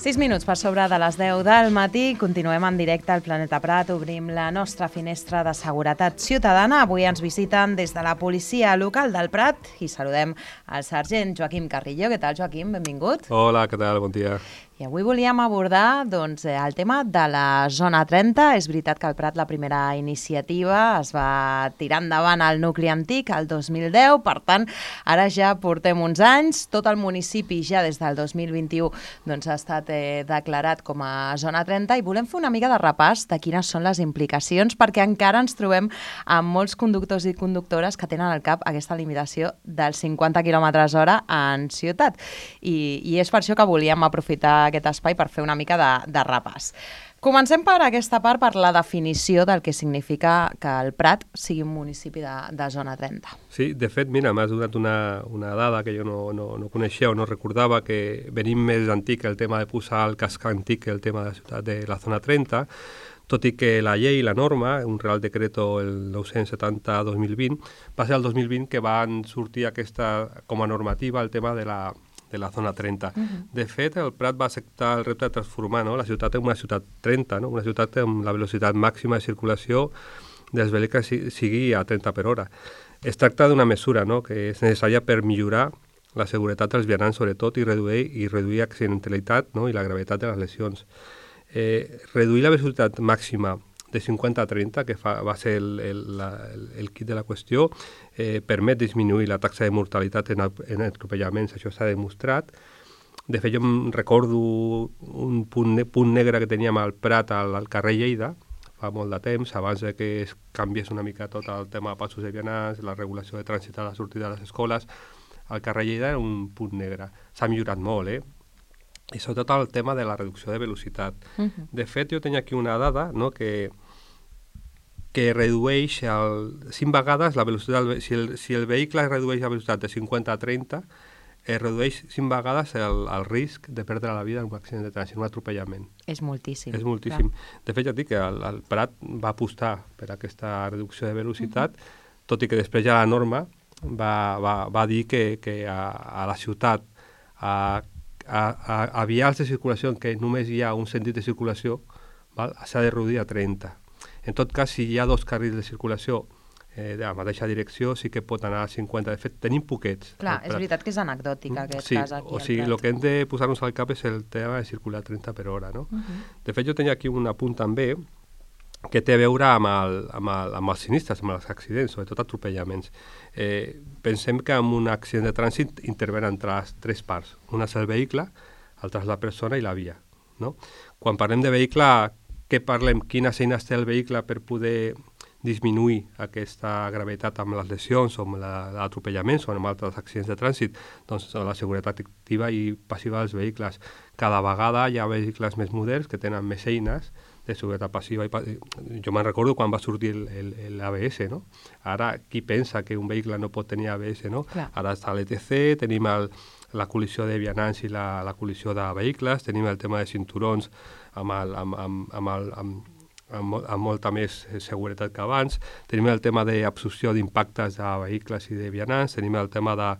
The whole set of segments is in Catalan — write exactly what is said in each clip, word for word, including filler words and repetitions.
sis minuts per sobre de les deu del matí. Continuem en directe al Planeta Prat. Obrim la nostra finestra de seguretat ciutadana. Avui ens visiten des de la policia local del Prat i saludem el sergent Joaquim Carrillo. Què tal, Joaquim? Benvingut. Hola, què tal? Bon dia. I avui volíem abordar doncs, el tema de la zona trenta. És veritat que al Prat la primera iniciativa es va tirar endavant al nucli antic el dos mil deu, per tant, ara ja portem uns anys. Tot el municipi ja des del dos mil vint-i-u doncs, ha estat eh, declarat com a zona trenta i volem fer una mica de repàs de quines són les implicacions, perquè encara ens trobem amb molts conductors i conductores que tenen al cap aquesta limitació dels cinquanta quilòmetres hora en ciutat. I, i és per això que volíem aprofitar aquest espai per fer una mica de, de repàs. Comencem per aquesta part, per la definició del que significa que el Prat sigui un municipi de, de zona trenta. Sí, de fet, mira, m'has donat una, una dada que jo no, no, no coneixia o no recordava, que venim més antic el tema de posar el casc antic que el tema de la ciutat de la zona trenta, tot i que la llei, la norma, un Real Decreto el nou-cents setanta dos mil vint, va ser el dos mil vint que van sortir aquesta, com a normativa, el tema de la de la zona trenta. Uh-huh. De fet, el Prat va acceptar el repte de transformar, no?, la ciutat en una ciutat trenta, no?, una ciutat amb la velocitat màxima de circulació dels vehicles sigui a trenta per hora. Es tracta d'una mesura, no?, que és necessària per millorar la seguretat dels vianants, sobretot, i reduir, i reduir accidentalitat, no?, i la gravetat de les lesions. Eh, reduir la velocitat màxima de cinquanta a trenta, que fa, va ser el, el, la, el, el kit de la qüestió, eh, permet disminuir la taxa de mortalitat en, en atropellaments, això s'ha demostrat. De fet, jo em recordo un punt, ne punt negre que teníem al Prat, al, al carrer Lleida, fa molt de temps, abans de que es canviés una mica tot el tema de passos de vianants, la regulació de trànsit a la sortida de les escoles, al carrer Lleida era un punt negre. S'ha millorat molt, eh? I sobretot el tema de la reducció de velocitat. Uh-huh. De fet, jo tenia aquí una dada, no?, que, que redueix el, cinc vegades la velocitat. Si el, si el vehicle redueix la velocitat de cinquanta a trenta, es redueix cinc vegades el, el risc de perdre la vida en un accident de trànsit, un atropellament. És moltíssim. És moltíssim. Clar. De fet, ja dic que el, el Prat va apostar per aquesta reducció de velocitat, uh-huh. tot i que després ja la norma va, va, va dir que, que a, a la ciutat, a A, a, a vials de circulació en què només hi ha un sentit de circulació, s'ha de reduir a trenta. En tot cas, si hi ha dos carrils de circulació eh, de la mateixa direcció, sí que pot anar a cinquanta. De fet, tenim poquets. Clar, és veritat que és anecdòtica aquest sí, cas aquí. O sigui, el que hem de posar-nos al cap és el tema de circular trenta per hora, no? Uh-huh. De fet, jo tenia aquí un apunt també que té a veure amb, el, amb, el, amb els sinistres, amb els accidents, sobretot atropellaments. Eh, pensem que en un accident de trànsit intervenen tres, tres parts. Una és el vehicle, l'altra és la persona i la via. No? Quan parlem de vehicle, què parlem? Quines eines té el vehicle per poder disminuir aquesta gravetat amb les lesions o amb l'atropellaments o amb altres accidents de trànsit? Doncs la seguretat activa i passiva dels vehicles. Cada vegada hi ha vehicles més moderns que tenen més eines de seguretat passiva. I, jo me'n recordo quan va sortir l'A B S, no? Ara, qui pensa que un vehicle no pot tenir A B S, no? Clar. Ara està l'E T C, tenim el, la col·lisió de vianants i la, la col·lisió de vehicles, tenim el tema de cinturons amb, el, amb, amb, amb, el, amb, amb, amb molta més seguretat que abans, tenim el tema d'absorció d'impactes de vehicles i de vianants, tenim el tema de...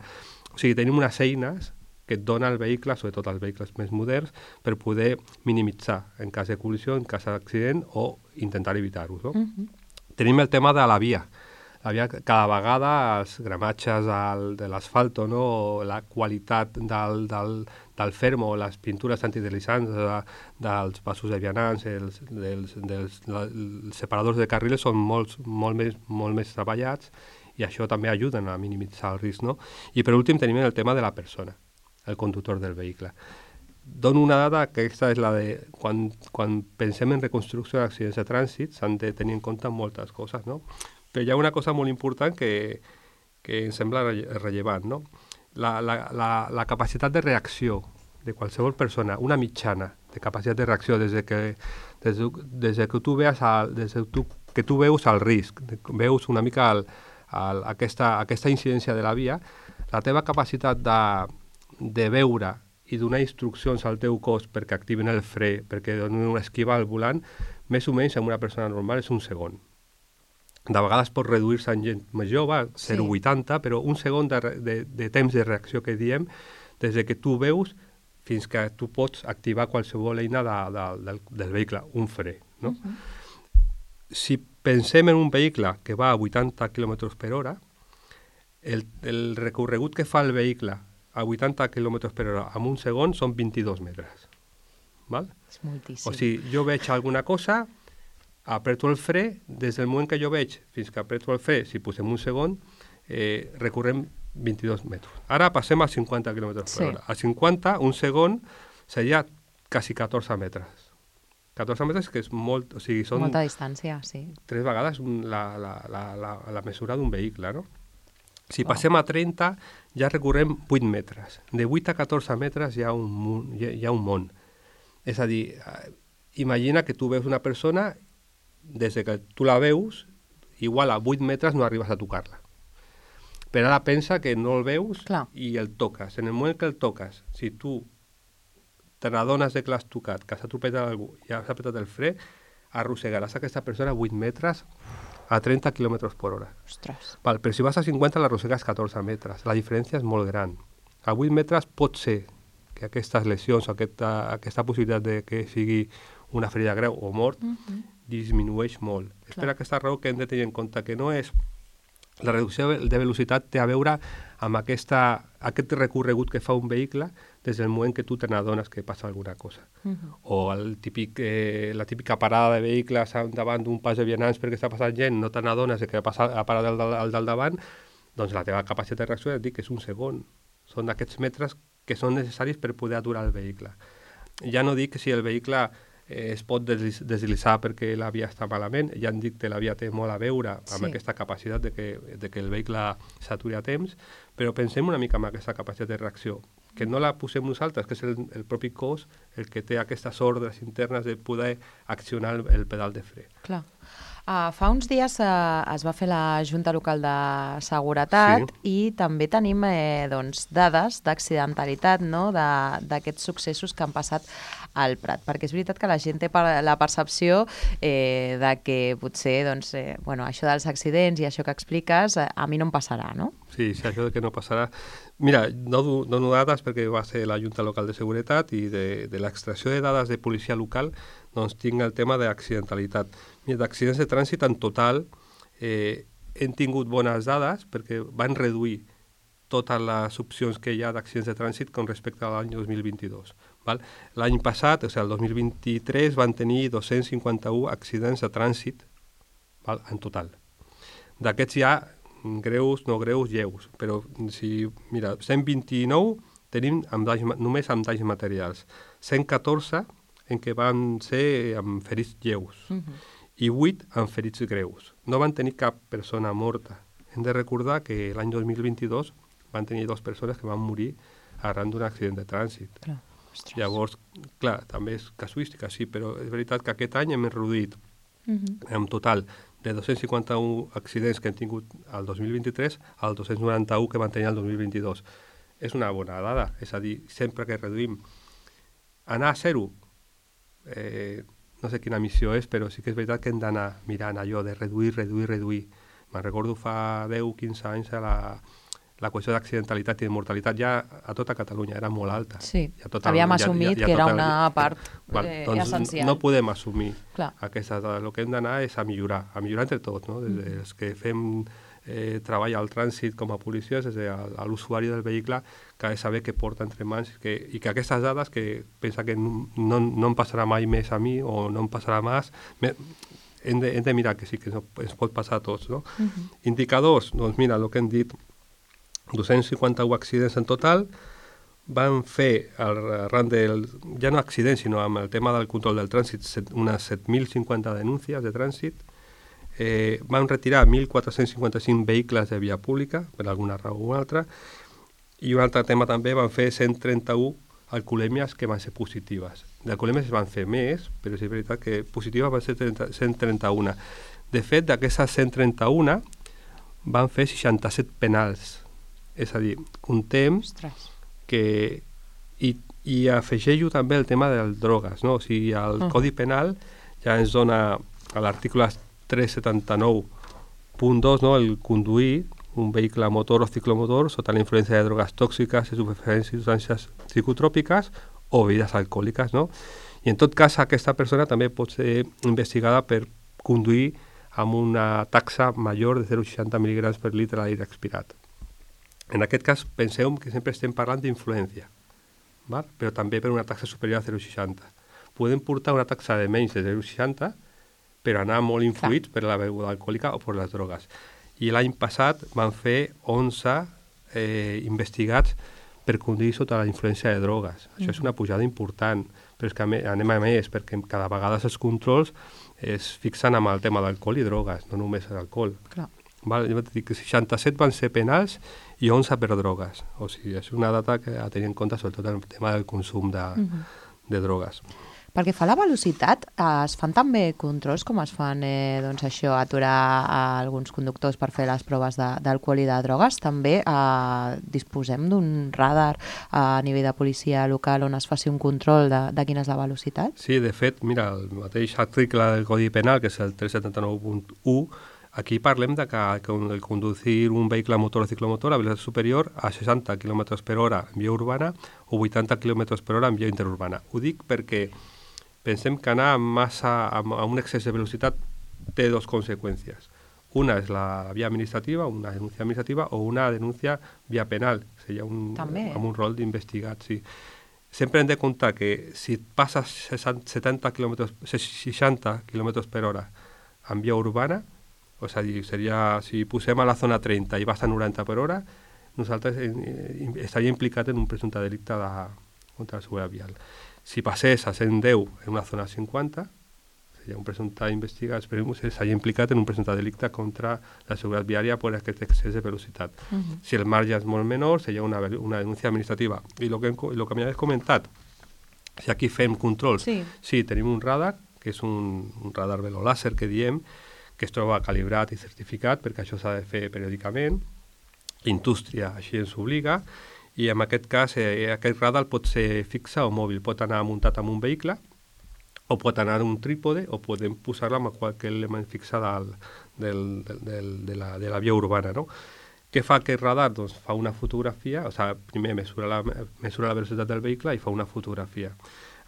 O sigui, tenim unes eines que et dona el vehicle, sobretot els vehicles més moderns, per poder minimitzar en cas de col·lisió, en cas d'accident, o intentar evitar-ho. No? Uh-huh. Tenim el tema de la via. La via, cada vegada els gramatges al, de l'asfalto, no? O la qualitat del, del, del fermo, les pintures antideslizants de, dels passos de vianants, els, dels, dels, els separadors de carrils són molt, molt, més, molt més treballats i això també ajuden a minimitzar el risc. No? I per últim tenim el tema de la persona, el conductor del vehicle. Dono una dada que aquesta és la de quan, quan pensem en reconstrucció d'accidents de trànsit s'han de tenir en compte moltes coses, no? Però hi ha una cosa molt important que, que em sembla rellevant, no? La, la, la, la capacitat de reacció de qualsevol persona, una mitjana de capacitat de reacció des de que, des de, des de que, tu, veus el, des de tu, que tu veus el risc, veus una mica el, el, aquesta, aquesta incidència de la via, la teva capacitat de de veure i donar instruccions al teu cos perquè activin el fre, perquè donin una esquiva al volant, més o menys en una persona normal és un segon. De vegades pot reduir-se en gent més jove, zero coma vuitanta, sí. Però un segon de, de, de temps de reacció que diem, des de que tu veus fins que tu pots activar qualsevol eina de, de, del, del vehicle, un fre. No? Uh-huh. Si pensem en un vehicle que va a vuitanta quilòmetres per hora, el, el recorregut que fa el vehicle a vuitanta quilòmetres per hora en un segon són vint-i-dos metres. Val? És moltíssim. O sigui, jo veig alguna cosa, apreto el fre, des del moment que jo veig fins que apreto el fre, si posem un segon, eh, recorrem vint-i-dos metres. Ara passem a cinquanta quilòmetres per hora. A cinquanta, un segon, seria quasi catorze metres. catorze metres que és molt... O sigui, són molta distància, sí. Tres vegades la, la, la, la, la mesura d'un vehicle, no? Si wow. passem a trenta, ja recorrem vuit metres. De vuit a catorze metres hi ha un, hi ha, hi ha un món. És a dir, imagina que tu veus una persona, des que tu la veus, igual a vuit metres no arribes a tocar-la. Però ara pensa que no el veus Clar. I el toques. En el moment que el toques, si tu te n'adones que l'has tocat, que s'ha atropellat algú i has apretat el fre, arrossegaràs aquesta persona vuit metres a trenta quilòmetres per hora. Ostres. Val, però si vas a cinquanta l'arrossegues catorze metres. La diferència és molt gran. A vuit metres pot ser que aquestes lesions, aquesta, aquesta possibilitat de que sigui una ferida greu o mort, uh-huh. disminueix molt. Clar. És per aquesta raó que hem de tenir en compte que no és... La reducció de velocitat té a veure amb aquesta, aquest recorregut que fa un vehicle des del moment que tu te n'adones que passa alguna cosa. Uh-huh. O el típic, eh, la típica parada de vehicles davant d'un pas de vianants perquè està passant gent, no te n'adones que ha parat el, el del davant, doncs la teva capacitat de reacció et dic que és un segon. Són aquests metres que són necessaris per poder aturar el vehicle. Ja no dic que si el vehicle eh, es pot deslitzar perquè la via està malament, ja han dit que la via té molt a veure amb sí. aquesta capacitat de que, de que el vehicle s'aturi a temps, però pensem una mica en aquesta capacitat de reacció, que no la posem nosaltres, que és el, el propi cos el que té aquestes ordres internes de poder accionar el, el pedal de fre. Clar. Uh, fa uns dies uh, es va fer la Junta Local de Seguretat sí. i també tenim eh, doncs, dades d'accidentalitat, no? d'aquests successos que han passat al Prat, perquè és veritat que la gent té per, la percepció eh, de que potser doncs, eh, bueno, això dels accidents i això que expliques eh, a mi no em passarà, no? Sí, sí, això de que no passarà. Mira, no dono dades perquè va ser la Junta Local de Seguretat i de, de l'extracció de dades de policia local doncs tinc el tema d'accidentalitat. Mira, d'accidents de trànsit en total eh, hem tingut bones dades perquè van reduir totes les opcions que hi ha d'accidents de trànsit con respecte a l'any dos mil vint-i-dos. Val? L'any passat, o sigui, el dos mil vint-i-tres, van tenir dos-cents cinquanta-un accidents de trànsit, val? En total. D'aquests hi ha greus, no greus, lleus, però si, mira, cent vint-i-nou tenim amb danys, només amb danys materials, cent catorze en què van ser amb ferits lleus uh-huh. i vuit amb ferits greus. No van tenir cap persona morta. Hem de recordar que l'any dos mil vint-i-dos van tenir dues persones que van morir arran d'un accident de trànsit. Clar. Llavors, clar, també és casuística, sí, però és veritat que aquest any hem reduït uh-huh. en total de dos-cents cinquanta-un accidents que hem tingut el dos mil vint-i-tres al dos-cents noranta-un que van tenir el dos mil vint-i-dos. És una bona dada, és a dir, sempre que reduïm anar a zero, eh, no sé quina missió és, però sí que és veritat que hem d'anar mirant allò de reduir, reduir, reduir. Me'n recordo fa deu o quinze anys a la, la qüestió d'accidentalitat i de mortalitat ja a tota Catalunya era molt alta. Sí, ja tot havíem el, assumit ja, ja, ja que era una el, part val, eh, doncs essencial. No podem assumir Clar. Aquestes dades. El que hem d'anar és a millorar, a millorar entre tots, no? Des mm. dels que fem eh, treball al trànsit com a policies, des de l'usuari del vehicle, que ha de saber què porta entre mans que, i que aquestes dades que pensa que no, no, no em passarà mai més a mi o no em passarà més, me, hem, de, hem de mirar que sí que no, ens pot passar a tots. No? Uh-huh. Indicadors, doncs mira, el que hem dit, dos-cents cinquanta-un accidents en total, van fer, arran del, ja no accidents, sinó amb el tema del control del trànsit, set, unes set mil cinquanta denúncies de trànsit, eh, van retirar mil quatre-cents cinquanta-cinc vehicles de via pública, per alguna raó o una altra, i un altre tema també, van fer cent trenta-un alcoholèmies que van ser positives. D'alcoholèmies van fer més, però és veritat que positives van ser cent trenta-un. De fet, d'aquestes cent trenta-un van fer seixanta-set penals. És a dir, contem que... I, i afegeixo també el tema de les drogues, no? O sigui, el uh. Codi Penal ja ens dona a l'article tres cents setanta-nou punt dos, no? El conduir un vehicle motor o ciclomotor sota la influència de drogues tòxiques, estupefaents i substàncies psicotròpiques o bebides alcohòliques, no? I en tot cas aquesta persona també pot ser investigada per conduir amb una taxa major de zero coma seixanta mil·lígrams per litre d'aire expirat. En aquest cas penseu que sempre estem parlant d'influència, val? Però també per una taxa superior a zero coma seixanta. Podem portar una taxa de menys de zero coma seixanta però anar molt influïts per la beguda alcohòlica o per les drogues. I l'any passat van fer onze eh, investigats per conduir sota la influència de drogues. Això mm-hmm. és una pujada important, però és que anem a més, perquè cada vegada els controls es fixen amb el tema d'alcohol i drogues, no només l'alcohol. Clar. Val? Jo vaig dir que seixanta-set van ser penals i onze per drogues. O sigui, és una data que a tenir en compte, sobretot el tema del consum de, mm-hmm. de drogues. Pel que fa a la velocitat, eh, es fan també controls com es fan eh, doncs això, aturar a alguns conductors per fer les proves d'alcohol i de drogues. També eh, disposem d'un radar eh, a nivell de policia local on es faci un control de, de quina és la velocitat? Sí, de fet, mira, el mateix article del Codi Penal, que és el tres cents setanta-nou punt u, aquí parlem de que, que el conducir un vehicle motor o ciclomotor a velocitat superior a seixanta quilòmetres per hora en via urbana o vuitanta quilòmetres per hora en via interurbana. Ho dic perquè pensem que anar massa a, a un excés de velocitat té dues conseqüències. Una és la via administrativa, una denúncia administrativa, o una denúncia via penal, seria un, amb un rol d'investigat, sí. Sempre hem de comptar que si passes setanta quilòmetres, seixanta quilòmetres per hora en via urbana, o sigui, seria, si posem a la zona trenta i vas a noranta per hora, nosaltres eh, estaria implicat en un presumpte delicte de, contra la seguretat vial. Si passés a cent deu en una zona cinquanta, seria un presumpte investigat, esperem que s'hagi implicat en un presumpte delicte contra la seguretat viària per aquest excés de velocitat. Uh-huh. Si el marge és molt menor, seria una, una denúncia administrativa. I el que, lo que m'havies comentat, si aquí fem controls, sí. sí, tenim un radar, que és un, un radar velolàser que diem, que es troba calibrat i certificat, perquè això s'ha de fer periòdicament. Indústria així ens obliga, i en aquest cas eh, aquest radar pot ser fixe o mòbil, pot anar muntat en un vehicle o pot anar en un trípode o podem posar-la amb qualsevol element fixe del, del, del, del, de, la, de la via urbana, no? Què fa aquest radar? Doncs fa una fotografia, o sigui, primer mesura la, mesura la velocitat del vehicle i fa una fotografia.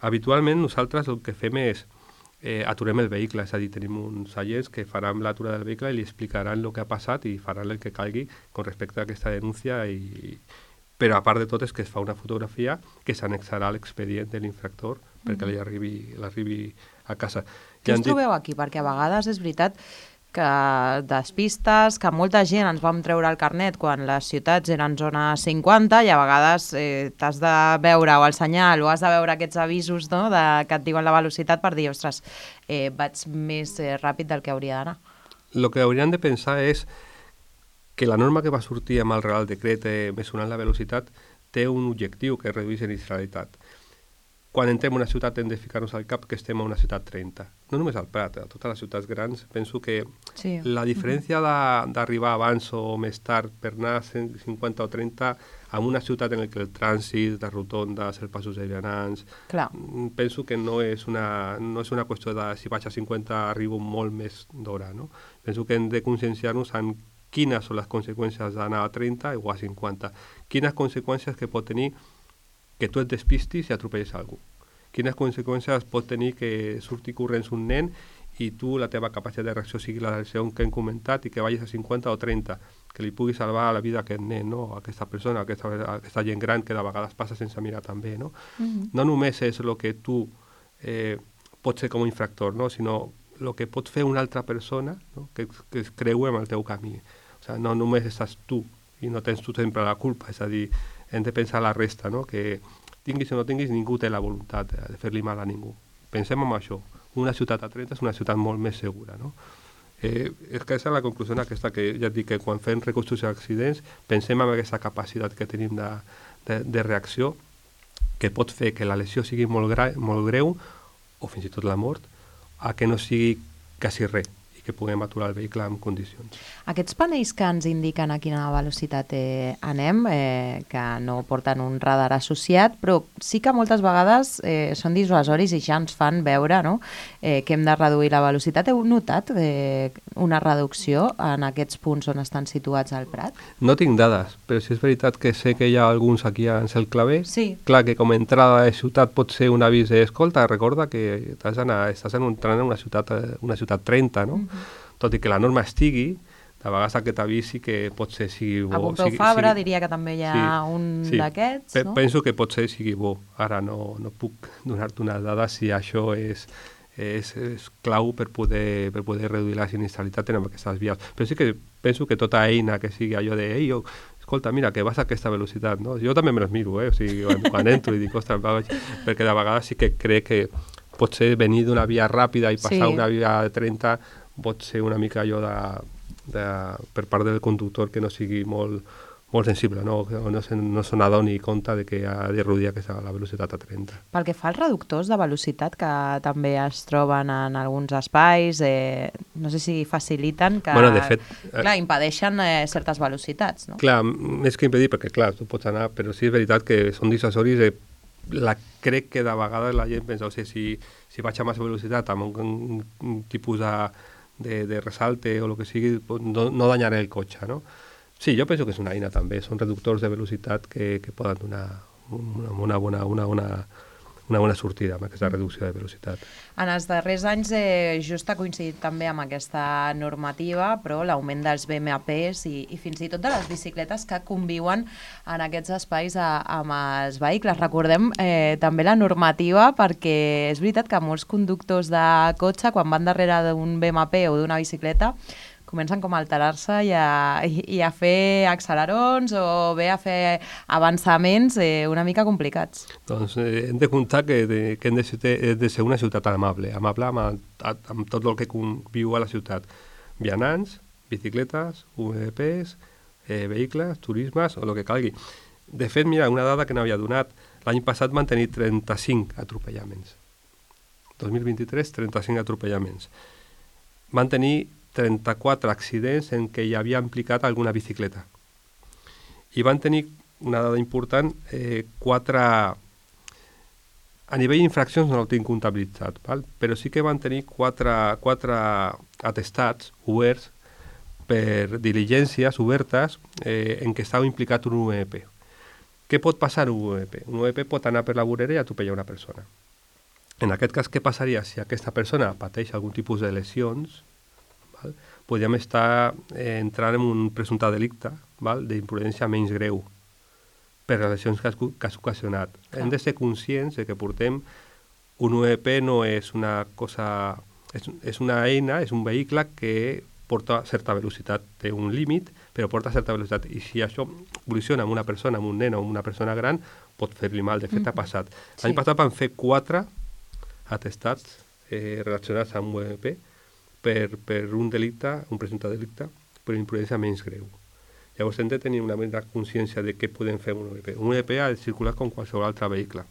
Habitualment nosaltres el que fem és eh, aturem el vehicle, és a dir, tenim uns agents que faran l'aturada del vehicle i li explicaran el que ha passat i faran el que calgui con respecte a aquesta denúncia i però a part de tot és que es fa una fotografia que s'annexarà a l'expedient de l'infractor perquè li arribi, l'arribi a casa. Què us trobeu aquí? Perquè a vegades és veritat que despistes, que molta gent ens vam treure el carnet quan les ciutats eren zona cinquanta i a vegades eh, t'has de veure o el senyal o has de veure aquests avisos, no?, de, que et diuen la velocitat per dir, ostres, eh, vaig més eh, ràpid del que hauria d'anar. El que haurien de pensar és que la norma que va sortir amb el Real Decret eh, mesurant la velocitat té un objectiu que és reduir sinistralitat. Quan entrem en una ciutat hem de ficar-nos al cap que estem a una ciutat trenta. No només al Prat, a totes les ciutats grans. Penso que sí. la diferència uh-huh. d'arribar abans o més tard per anar a cent cinquanta o trenta en una ciutat en què el trànsit, les rotondes, els passos de vianants, Clar. penso que no és, una, no és una qüestió de si vaig a cinquanta arribo molt més d'hora. No? Penso que hem de conscienciar-nos en quines són les conseqüències d'anar a trenta o a cinquanta. Quines conseqüències que pot tenir que tu et despistis i atropelles algú. Quines conseqüències pot tenir que surti corrents un nen i tu la teva capacitat de reacció sigui la reacció que hem comentat i que vagis a cinquanta o trenta, que li pugui salvar la vida a aquest nen, no? a aquesta persona, a aquesta, a aquesta gent gran que de vegades passa sense mirar també. No, mm-hmm. no només és el que tu eh, pots ser com a infractor, no? sinó el que pot fer una altra persona, no? que, que es creue amb el teu camí. O sigui, no només estàs tu i no tens tu sempre la culpa, és a dir, hem de pensar la resta, no? que tinguis o no tinguis, ningú té la voluntat de fer-li mal a ningú. Pensem en això. Una ciutat a trenta és una ciutat molt més segura. No? Eh, és que és la conclusió aquesta, que ja et dic que quan fem reconstrucció d'accidents pensem en aquesta capacitat que tenim de, de, de reacció que pot fer que la lesió sigui molt, gra, molt greu o fins i tot la mort, a que no sigui quasi res i que puguem aturar el vehicle en condicions. Aquests panells que ens indiquen a quina velocitat eh, anem, eh, que no porten un radar associat, però sí que moltes vegades eh, són dissuasoris i ja ens fan veure, no?, eh, que hem de reduir la velocitat. Heu notat eh, una reducció en aquests punts on estan situats al Prat? No tinc dades, però sí és veritat que sé que hi ha alguns aquí a Cel Clavé. Sí. Clar que com a entrada de ciutat pot ser un avís d'escolta, recorda que t'has d'anar, estàs entrant en una ciutat, una ciutat trenta, no? Mm-hmm. Tot i que la norma estigui, de vegades aquest avís sí que pot ser sigui bo. A Pompeu sigui, Fabra sigui, diria que també hi ha sí, un sí. d'aquests, no? Penso que pot ser sigui bo. Ara no, no puc donar-te una dada si això és, és, és clau per poder, per poder reduir la sinistralitat en aquestes vies. Però sí que penso que tota eina que sigui allò de ei, jo, escolta, mira, que vas a aquesta velocitat, no? Jo també me les miro, eh? O sigui, quan, quan entro i dic, ostres, vaig, perquè de vegades sí que crec que potser venir d'una via ràpida i passar sí. una via de trenta pot ser una mica allò de, de, per part del conductor que no sigui molt, molt sensible, no, no, se, no se n'adoni compte de que ha de reduir aquesta, la velocitat a trenta. Pel que fa als reductors de velocitat, que també es troben en alguns espais, eh, no sé si faciliten que, bueno, de fet, clar, impedeixen eh, certes velocitats, no? Clar, més que impedir, perquè clar, tu pots anar, però sí és veritat que són dissuasoris, eh, la, crec que de vegades la gent pensa, o sigui, si, si vaig a massa velocitat amb un, un, un tipus de, de, de resalte o el que sigui, no, no danyaré el cotxe, no? Sí, jo penso que és una eina també, són reductors de velocitat que, que poden donar una, una, bona, una, una, una bona sortida amb aquesta reducció de velocitat. En els darrers anys eh, just ha coincidit també amb aquesta normativa, però l'augment dels B M Ps i, i fins i tot de les bicicletes que conviuen en aquests espais a, amb els vehicles. Recordem eh, també la normativa, perquè és veritat que molts conductors de cotxe, quan van darrere d'un B M P o d'una bicicleta, comencen com a alterar-se i, i, i a fer accelerons o bé a fer avançaments eh, una mica complicats. Doncs eh, hem de comptar que, de, que hem de ser, de ser una ciutat amable, amable amb, amb tot el que conviu a la ciutat. Vianants, bicicletes, U M Ps, eh, vehicles, turismes o el que calgui. De fet, mira, una dada que n'havia donat, l'any passat van tenir trenta-cinc atropellaments. dos mil vint-i-tres, trenta-cinc atropellaments. Van tenir trenta-quatre accidents en què hi havia implicat alguna bicicleta. I van tenir una dada important, eh, quatre... A nivell d'infraccions no ho tinc comptabilitzat, val? Però sí que van tenir quatre, quatre atestats oberts per diligències obertes eh, en què estava implicat un U M P. Què pot passar un U M P? Un U M P pot anar per la vorera i atropellar una persona. En aquest cas, què passaria si aquesta persona pateix algun tipus de lesions? Val? Podríem estar eh, entrant en un presumpte delicte d'imprudència menys greu per les lesions que has, que has ocasionat. Clar. Hem de ser conscients de que portem un U M P no és una cosa... És, és una eina, és un vehicle que porta certa velocitat, té un límit, però porta certa velocitat. I si això col·lisiona amb una persona, amb un nen o amb una persona gran, pot fer-li mal. De fet, mm. ha passat. Sí. L'any passat van fer quatre atestats eh, relacionats amb un U M P Per, per un delicte, un presumpte delicte, per imprudència menys greu. Llavors hem de tenir una mera consciència de què podem fer amb un U M P. Un U M P ha de circular com qualsevol altre vehicle,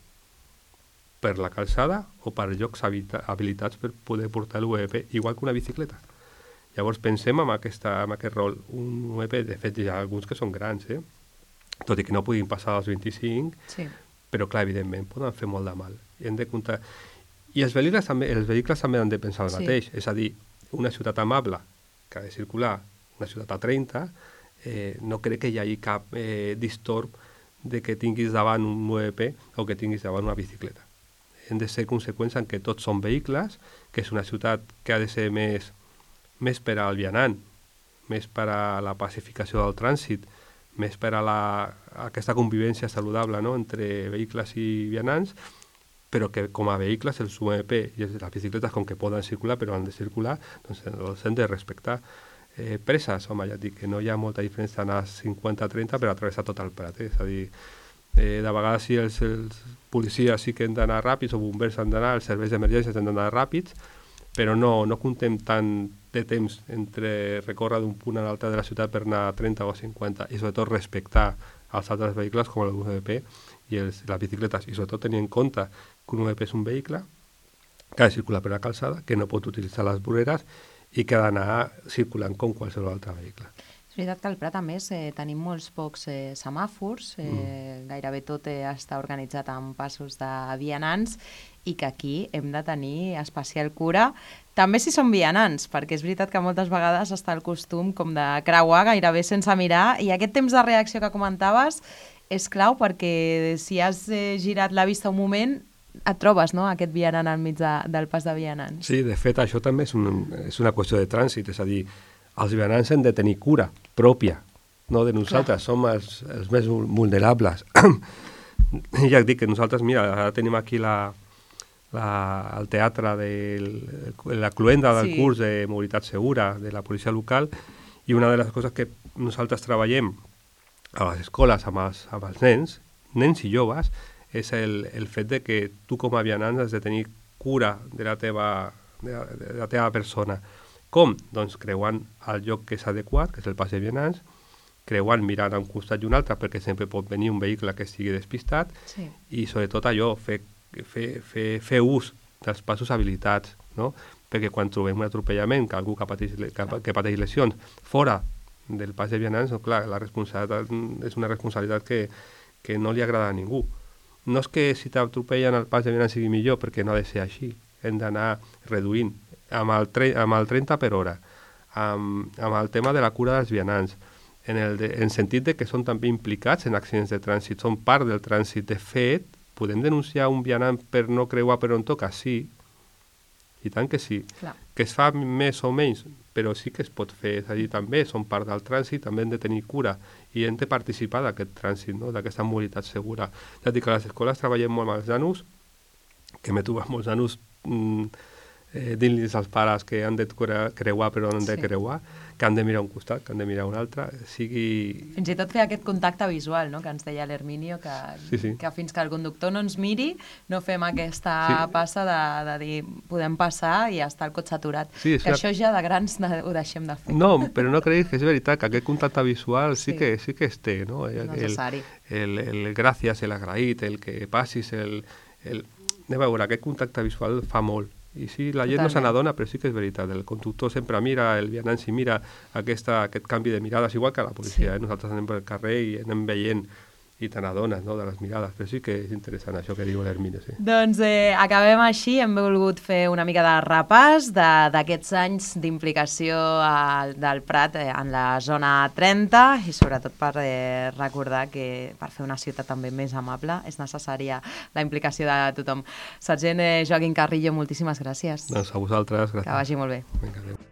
per la calçada o per llocs habilitats per poder portar l'U M P, igual que una bicicleta. Llavors pensem en, aquesta, en aquest rol. Un U M P, de fet, hi ha alguns que són grans, eh? Tot i que no puguin passar als vint-i-cinc, sí. Però clar, evidentment, poden fer molt de mal. I hem de comptar... I els vehicles també, els vehicles també han de pensar el sí. mateix, és a dir, una ciutat amable que ha de circular una ciutat a trenta, eh, no crec que hi hagi cap eh, distorb de que tinguis davant un U M P o que tinguis davant una bicicleta. Hem de ser conseqüents en que tots són vehicles, que és una ciutat que ha de ser més, més per al vianant, més per a la pacificació del trànsit, més per a, la, a aquesta convivència saludable, no?, entre vehicles i vianants, però que com a vehicles els U M P i les bicicletes com que poden circular però han de circular, doncs els hem de respectar. Eh, preses, home, ja et dic que no hi ha molta diferència anar a cinquanta a trenta per atravessar tot el Prat, eh? És a dir, eh, de vegades sí els, els policies sí que han d'anar ràpids o bombers han d'anar, els serveis d'emergències han d'anar ràpids, però no, no comptem tant de temps entre recórrer d'un punt a l'altre de la ciutat per anar a trenta o a cinquanta i sobretot respectar els altres vehicles com el U M P i els, les bicicletes, i sobretot tenir en compte que un U M P és un vehicle que ha de circular per la calçada, que no pot utilitzar les voreres i que ha d'anar circulant com qualsevol altre vehicle. És veritat que al Prat, a més, eh, tenim molts pocs eh, semàfors, eh, mm. gairebé tot eh, està organitzat amb passos de vianants i que aquí hem de tenir especial cura, també si són vianants, perquè és veritat que moltes vegades està el costum com de creuar gairebé sense mirar, i aquest temps de reacció que comentaves és clau perquè si has eh, girat la vista un moment et trobes, no?, aquest vianant al mig de, del pas de vianants. Sí, de fet, això també és, un, és una qüestió de trànsit, és a dir, els vianants han de tenir cura pròpia, no de nosaltres, Clar. som els, els més vulnerables. Ja et dic que nosaltres, mira, ara tenim aquí la, la, el teatre de la cluenda del sí. curs de mobilitat segura de la policia local, i una de les coses que nosaltres treballem a les escoles amb els, amb els nens, nens i joves, és el, el fet de que tu com a vianant has de tenir cura de la teva, de la, de la teva persona. Com? Doncs creuant el lloc que és adequat, que és el pas de vianants, creuant mirant a un costat i un altre, perquè sempre pot venir un vehicle que estigui despistat, sí. i sobretot allò, fer, fer, fer, fer ús dels passos habilitats, no? Perquè quan trobem un atropellament, que algú que pateix, que, que pateix lesions fora del pas de vianants, no, clar, la responsabilitat és una responsabilitat que, que no li agrada a ningú. No és que si t'atropellen el pas de vianants sigui millor, perquè no ha de ser així. Hem d'anar reduint amb el, tre amb el trenta per hora, amb, amb el tema de la cura dels vianants, en el de, en sentit de que són també implicats en accidents de trànsit, són part del trànsit. De fet, podem denunciar un vianant per no creuar per on toca? Sí, i tant que sí. Clar. Que es fa més o menys, però sí que es pot fer, és a dir, també són part del trànsit, també hem de tenir cura i hem de participar d'aquest trànsit, no?, d'aquesta mobilitat segura. Ja dic que a les escoles treballem molt amb els nanos, que m'he trobat molts nanos mmm, eh, dient-los als pares que han de creuar però no han de sí. creuar, que han de mirar un costat, que han de mirar un altre, sigui... Fins i tot fer aquest contacte visual, no?, que ens deia l'Herminio, que, sí, sí. que fins que el conductor no ens miri no fem aquesta sí. passa de, de dir podem passar i està el cotxe aturat. Sí, que això ja de grans ho deixem de fer. No, però no creguis que és veritat, que aquest contacte visual sí, sí, que, sí que es té, no? El, necessari. El, el, el gràcies, l'agraït, el que passis, el... el... Anem a veure, aquest contacte visual fa molt. I sí, la gent Totalment. no se n'adona, però sí que és veritat. El conductor sempre mira, el vianant si mira aquesta, aquest canvi de mirades, igual que la policia. Sí. Eh? Nosaltres anem pel carrer i anem veient i te n'adones, no?, de les mirades. Però sí que és interessant això que diu l'Herminio, sí. Doncs eh, acabem així. Hem volgut fer una mica de repàs d'aquests anys d'implicació del Prat eh, en la zona trenta i sobretot per eh, recordar que per fer una ciutat també més amable és necessària la implicació de tothom. Sergent eh, Joaquim Carrillo, moltíssimes gràcies. Doncs a vosaltres, gràcies. Que vagi molt bé. Vinga, adéu.